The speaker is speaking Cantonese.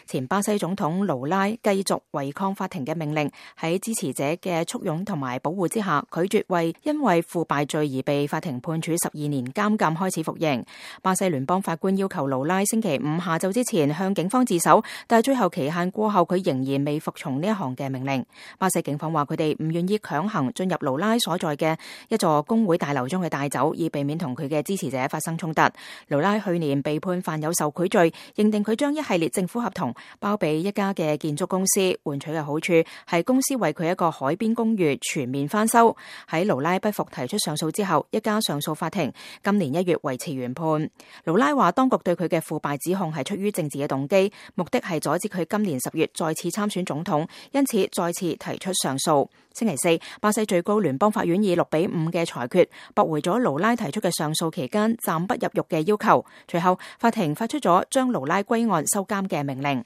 前巴西總統盧拉繼續違抗法庭嘅命令，喺支持者嘅簇擁同埋保護之下，拒絕因為腐敗罪而被法庭判處12年監禁開始服刑。巴西聯邦法官要求盧拉星期五下晝之前向警方自首，但係最後期限過後，佢仍然未服從呢一項嘅命令。巴西警方話佢哋唔願意強行進入盧拉所在嘅一座工會大樓將佢帶走，以避免同佢嘅支持者發生衝突。盧拉去年被判犯有受賄罪，認定佢將一系列政府合同包俾一家嘅建築公司，換取嘅好處係公司為佢一個海邊公寓全面翻修。喺盧拉不服提出上訴之後，一家上訴法庭今年1月維持原判。盧拉話當局對佢嘅腐敗指控係出於政治嘅動機，目的係阻止佢今年10月再次參選總統，因此再次提出上訴。星期四，巴西最高聯邦法院以6-5嘅裁決駁回咗盧拉提出嘅上訴期間暫不入獄嘅要求。隨後，法庭發出咗將盧拉歸案收監嘅命令。